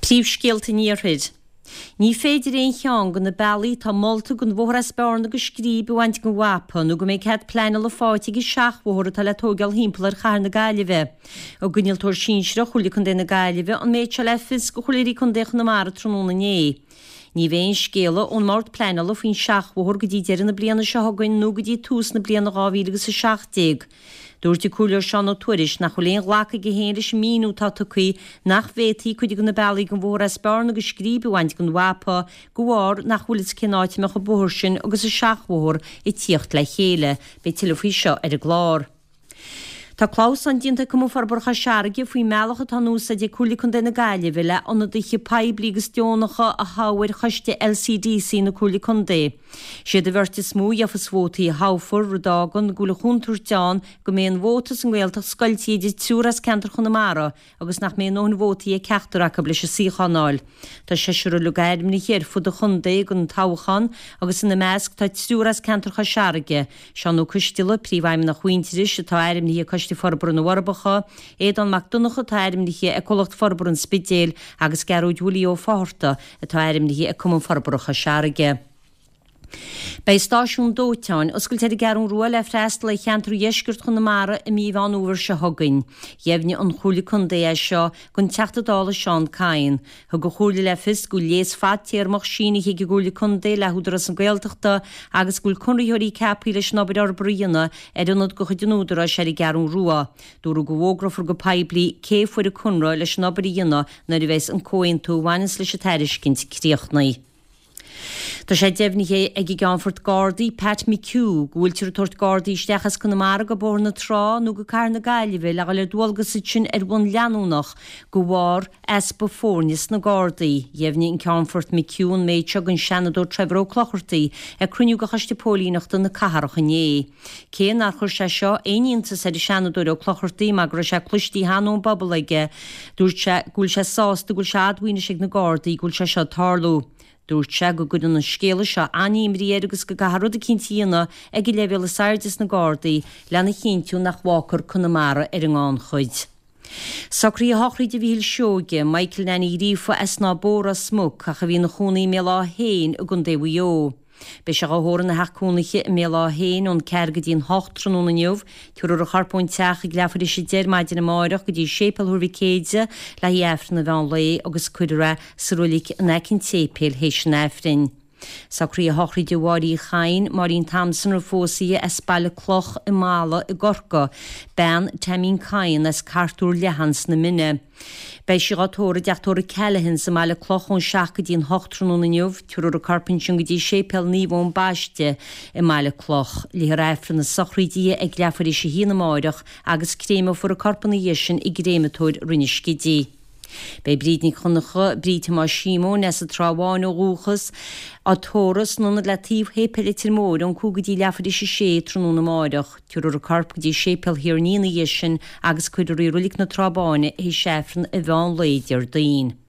Príomhscéalta an Iarthair. Ní féidir aon cheann de na bealaí atá molta don bhóthar as Bearna go Scríb a bhaint den mhapa nó go mbeidh cead pleanála faighte ag an seachbhóthar atá le tóigeáil thimpeall ar chathair na Gaillimhe. Thug Innealtóir Sinsearach Chomhairle Contae na Gaillimhe an méid seo le fios do chraoltóirí contae Chonamara tráthnóna inné. Ní bheidh aon scéala ón mBord Pleanála faoin seachbhóthar go dtí deireadh na bliana seo chugainn nó go dtí tús na bliana 2017. Dúirt an Comhairleoir Seán Ó Tuairisg nach bhfuil aon ghlacadh aige féin leis an míniú atá tugtha nach bhféadfaí cuid de na bealaí don bhóthar as Bearna go Scríb a bhaint den mhapa de bharr nach bhfuil fhios cén áit a mbeadh an bóthar sin agus an seachbhóthar ag tíocht le chéile. Beidh tuilleadh faoi seo ar an gclár. Tá clamhsán déanta ag Cumann Forbartha Chois Fharraige faoin mbealach atá in úsáid ag Comhairle Contae na Gaillimhe le ionadaithe poiblí agus deonacha a thoghadh ar choiste LCDC na Comhairle Contae. Siad an bheirt is mó a gheofas vótaí a thoghfar, rud a fhágann go bhfuil an chontúirt ann go mbeidh an vóta sa nGaeltacht scoilte idir triúr as ceantar Chonamara agus nach mbeidh a ndóthain vótaí ag ceachtar acu leis an suíochán a fháil. Tá seisear uilig ainmnithe ar fud an chontae don toghchán agus ina measc tá triúr as ceantar Chois Fharraige, Seán Ó Coisteala, Príomhfheidhmeannach Mhuintearais, atá ainmnithe ag Coiste Forbartha na bhForbacha, Aodán Mac Donncha atá ainmnithe ag Comhlacht Forbartha an Spidéil agus Gearóid Willie Ó Fátharta atá ainmnithe ag Cumann Forbartha Chois Fharraige. Beidh stáisiún dóiteáin oscailte ar an gCeathrú Rua le freastal ar cheantar dheisceart Chonamara i mí Mheán Fhómhair seo chugainn. Dheimhnigh an Chomhairle Contae é seo don Teachta Dála Seán Kyne. Thug an Chomhairle le fios go bhfuil léas fadtéarmach sínithe ag an gComhairle Contae le hÚdarás na Gaeltachta agus go bhfuil conraitheoirí ceaptha leis an obair fhorbartha a dhéanamh ar ionad de chuid an Údaráis ar an gCeathrú Rua. Dúradh go bhfógrófar go poiblí cé a fuair an conradh leis an obair a dhéanamh nuair a bheas an comhaontú a bhaineanns leis an tairiscint críochnaithe. Tá sé deimhnithe ag an gCeannfort Gardaí, Pat McHugh, go bhfuiltear ag tabhairt Gardaí isteach as Conamara go Bóthar na Trá nó go Cathair na Gaillimhe le dhul ar dualgas ansin ar bhonn leanúnach de bharr easpa foirne sna Gardaí. Dheimhnigh an Ceannfort McHugh an méid seo don Seanadóir Trevor Ó Clochartaigh ag cruinniú de Choiste Póilíneachta na Cathrach inné. Cé nár chuir sé seo aon iontas ar an Seanadóir Ó Clochartaigh mar go raibh sé cloistí cheana ón bpobal aige, dúirt sé go bhfuil sé sásta go bhfuil sé admhaithe anois ag na Gardaí go bhfuil sé seo ag tarlú. Dúirt sé go gcuireann an scéala seo an-imní air agus go gcaithfear rud eicínt a dhéanamh ag an leibhéal is airde sna Gardaí lena chinntiú nach bhfágfar Conamara ar an ngannchuid. Socruithe shochraide Mhíchíl Seoige, Michael Nanny Ghríofa as Snáth Bó, Ros Muc, ach a bhí ina chónaí i mBéal Átha hÉin i gContae Mhaigh Eo. Beidh sé dhá thórramh ina theach cónaithe i mBéal Átha hÉin ón ceathair go dtí an hocht tráthnóna inniu. Tabharfar a chorp ón teach ag leathuair tar éis a deich ar maidin amáireach go dtí Séipéal Thuar Mhic Éide le haghaidh Aifreann an mheán lae agus cuirfear é sa roilig in aice an tséipéil théis an Aifrinn. Socruithe shochraide Mháire Uí Chadhain, Máirín Thompson roimh phósadh di as Baile Cloch i Mala i gCorcaigh, bean Teaimín Cadhain as Cartúr Leathan sna Mine. Beidh sí dhá tórramh i dteach tórraimh Callaghan's i mBaile Cloch ón 7 go dtí an 8 tráthnóna inniu. Tabharfar a corp ansin go dtí Séipéal Naomh Eoin Baiste i mBaile Cloch. Léifear Aifreann na sochraide di ag leathuair tar éis a haon amáireach agus créimeofar a corp ina dhiaidh sin i gcréamatóir Rinn an Scidígh. Beidh Bríd Nic Dhonncha, Bríd Thomáis Shíomóin, as an Trá Bháin ó dhúchas, á tórramh san ionad le taobh Shéipéal Leitir Móir ón 5 go dtí leathuair tar éis a sé tráthnóna amáireach. Tabharfar a corp go dtí Séipéal Thír an Fhia ina dhiaidh sin agus cuirfear í i Roilig na Trá Báine théis Aifreann an mheán lae Déardaoin.